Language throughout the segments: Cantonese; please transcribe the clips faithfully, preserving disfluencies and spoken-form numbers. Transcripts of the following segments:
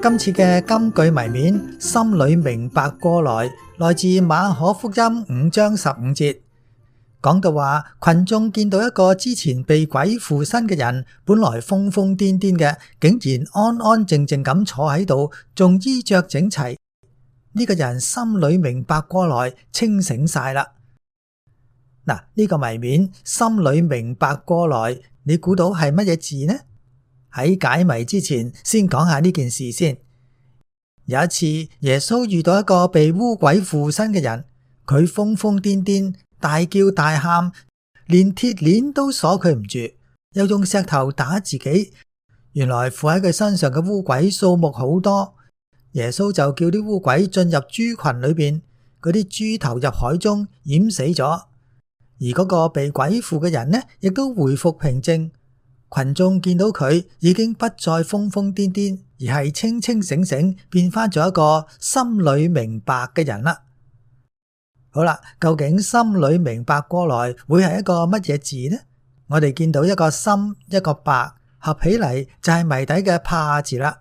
今次嘅金句謎面，心裏明白過來，來自馬可福音五章十五節，講到話群眾見到一個之前被鬼附身嘅人，本來瘋瘋癲癲嘅，竟然安安靜靜咁坐喺度，仲衣着整齊。呢個人心裏明白過來，清醒晒啦。嗱，呢個謎面心裏明白過來，你估到係乜嘢字呢？喺解謎之前，先講下呢件事先。有一次，耶穌遇到一個被污鬼附身嘅人，佢瘋瘋癲癲，大叫大喊，連鐵鏈都鎖佢唔住，又用石頭打自己。原來附喺佢身上嘅污鬼數目好多，耶穌就叫啲污鬼進入豬群裏邊，嗰啲豬投入海中淹死咗。而嗰個被鬼附嘅人呢，亦都回復平靜。群眾見到佢已經不再瘋瘋癲癲，而係清清醒醒，變翻咗一個心裏明白嘅人啦。好啦，究竟心裏明白過來會係一個乜嘢字呢？我哋見到一個心一個白合起嚟就係謎底嘅怕字啦，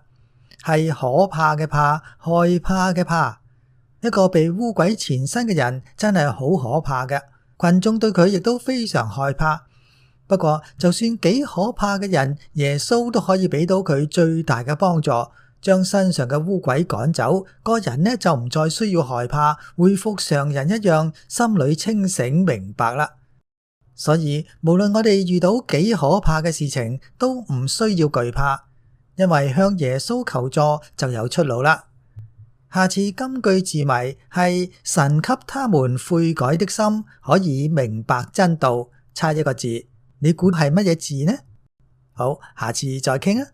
係可怕嘅怕，害怕嘅怕。一個被污鬼纏身嘅人真係好可怕嘅，群眾對佢亦都非常害怕。不過就算幾可怕嘅人，耶穌都可以俾到佢最大嘅幫助，將身上嘅污鬼趕走，個人呢就唔再需要害怕，恢復常人一樣，心裏清醒明白啦。所以無論我哋遇到幾可怕嘅事情，都唔需要懼怕，因為向耶穌求助就有出路啦。下次金句字謎係神給他們悔改的心，可以明白真道，差一個字。你估係乜嘢字呢？好，下次再傾啊！